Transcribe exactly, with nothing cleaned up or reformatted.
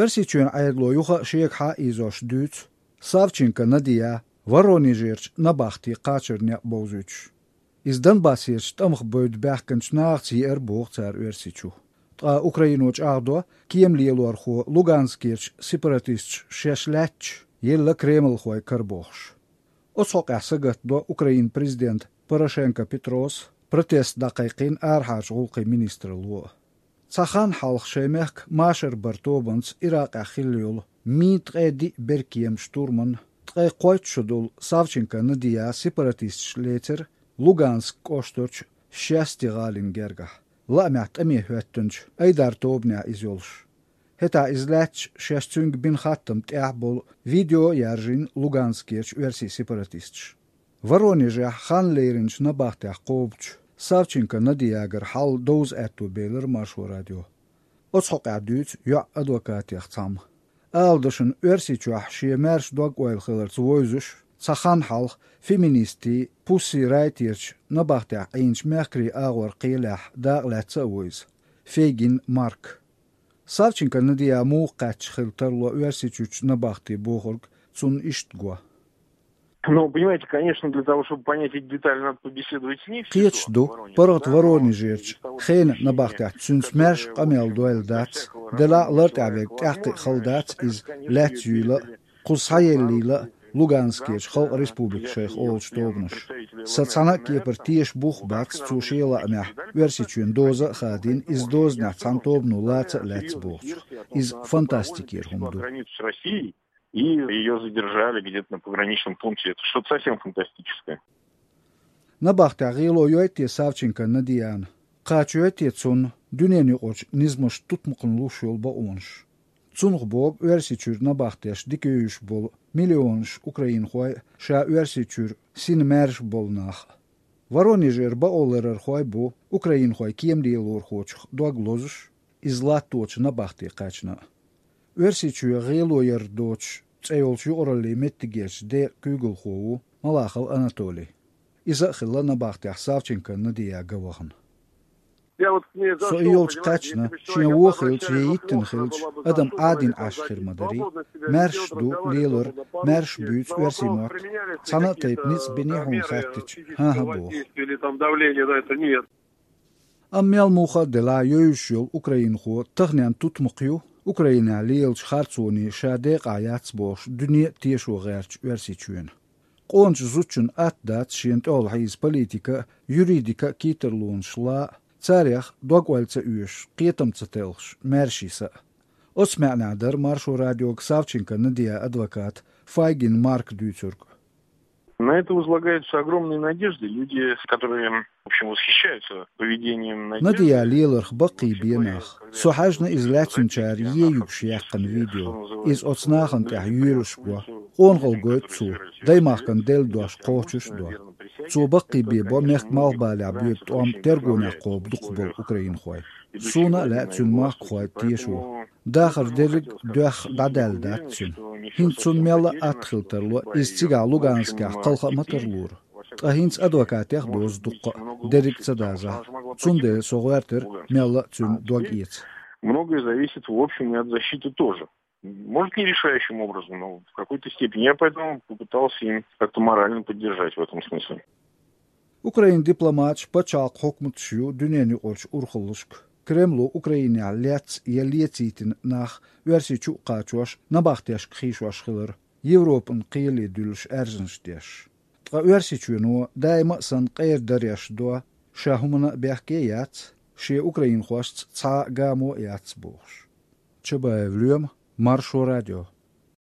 Оьрсийчоьнан Ӏедало юха а шегахьа а ийзош дуьйцу Савченко Надия Воронежерчу набахти кхачаран некъ бовзуьйтуш. Иза Донбассерчу тӀамах бевдда баьхкинчу нахаца еара боху цара Оьрсийчу. Ткъа Украино чӀагӀдо, кема лелорхо Луганскерчу сепаратисташа шаьш лаьтташ елла кремлхой карабохуш. Оцу хьокъехь сагатдо Украинан президента Порошенко Петрос, протест дӀакхайкхийна арахьарчу гӀуллакхийн министралло. Цхьа хан хьалха шайн мехкан машар баран тобанца Иракъехь хилла йолу мин ткъе диъ беркеман штурман ткъе кхойтта шо долу Савченко Надия сепаратисташа лецира Луганск кӀоштарчу Шести гӀалин гергахь, лаамехь тӀаме хӀоьттинчу Айдар тобанехь иза йолуш. ХӀетахь иза лаьтташ шаьш цуьнга бина хаттам тӀехь болу видео а яржийна Луганскерчу оьрсийн сепаратисташа. Воронежехь хан леринчу набахтех кхобучу Савченко Надиягара хьал довза аьтто белира Маршо радио. Оцу хьокъехь дуьйцу йоӀ адвокатех цхьамма. Ала дашна, Оьрсийчохь шен маьрша дог-ойла хиларца вовзуш, цхьа хан хьалха феминистийн Pussy Riot-ерчу набахтехь Ӏийначу мехкарийн агӀор кхелехь дакъа лаьцна а ву иза, Фейгин Марк. Савченко Надия муха кхаьчча хила тарло Оьрсийчуьрчу набахти бохург цунна иштта го. Ну, понимаете, конечно, для того, чтобы понять эти детали, надо побеседовать с ней. Кхеташ ду, паргӀат Воронежерчу хенан набахтехь цуьнца маьрша къамел дойла дац, делахь а лар тӀехь верг тӀаьхьакхиа хала дац иза лаьцна юйла а, кхуза схьаеллийла а Луганскерчу халкъан республика шайх олучу тобанаша. Сан цхьана а кепара теша бух а бац цо шен лаамехь Оьрсийчоьнан доза а хадийна, иза дозанехь цхьана тобано лаца а лаьцна бохучух. Иза фантастикера хӀума ду. И её задержали где-то на пограничном пункте. Это что-то совсем фантастическое. Набахтехь гӀело йой те Савченко Надиана? Кхача йой те цунна дуьненан юкъарчу низамаш тутмакхна луш йолу бакъонаш? Цунах богу Оьрсийчуьра набахтеш дика йовзуш болу миллионаш украинхой а, ша Оьрсийчуьра сина маьрша болу нах а. Воронежера бакъоларъярхой бу украинхойн кема лелорхочух дог лозуш, иза латточу набахте кхаьчна а. Оьрсийчоь гӀело яр доцуш цӀе йолчу юкъараллин меттигерчу декъан куьйгалхо ву Малахов Анатолий. Иза а хилла набахтехь Савченко Надия ган вахана. Со и йолчу кхаьчна, шен вон хилча я йиттина хилча, адам Ӏадийна Ӏаш хир ма дарий. Маьрша ду лелар, маьрша буьйцу оьрсийн мотт. Цхьана а тайпа ницкъ биний хьуна хаьттича, хӀан-хӀа боху. Амма мел муха а делахь, йовзуш йолу украинхо таханен тутмакх ю Украинехь лелачу харцонийн ша декъахь яц бохуш дуьне а тешо гӀертачу Оьрсийчоьнан. Къоначу зудчунна атта дац шена тӀехула хьийза политика а, юридика а кийттарлонаш лан а, царех дог-ойла ца оьшуш, кхетам ца телхаш, маьрша йиса а. Оцу маьӀнехь дара Маршо радиога Савченко Надиан адвоката Файгин Марка дуьйцург. На это возлагаются огромные надежды. Люди, которые, в общем, восхищаются поведением Надежды. Надия леларх баккхийбе нах. Со хьаьжна иза лаьцначара ен юьгуш яьккхина видео. Иза оцу нахана тӀехь йоьлуш го. Къонахалла гойту цо. Даймахкана делла дош кхочуш а до. Цо баккхийбе бо мехкан малхбалехь боьду тӀом тергонехь кхобу дукхахболу украинхой. Суна а лаьа цуьнан махкахой тешо. Дахар дерриг а доьхна дӀадаьлла дац цуьнан. ХӀинца цунна мелла а атта хила тарло, иза цигахь Луганскехь кхалха а ма тарлора. Ткъа хӀинца адвокатех а дозу дуккха а, дерриг а ца дазахь. Цундела со гӀоьртира мелла а цуьнан дог эца. Многое зависит, в общем, и от защиты тоже. Может, не решающим образом, но в какой-то степени. Я поэтому попытался им как-то морально поддержать в этом смысле. Украинан дипломаташ, пачхьалкхан хьукматаш ю дуьненан юкъарчу урхаллашка. Кремло Украинехь лецна я лецийтина нах Оьрсийчу а кхачош, набахтешка хийшош хилар, Европан кхеле дуьллуш аьрзнаш деш. Ткъа Оьрсийчоьно даима а санна къера дареш до, ша хӀуманна а бехке а яц, шен украинхошца цхьа а гамо а яц бохуш. Чабаев Лоьма, Маршо радио.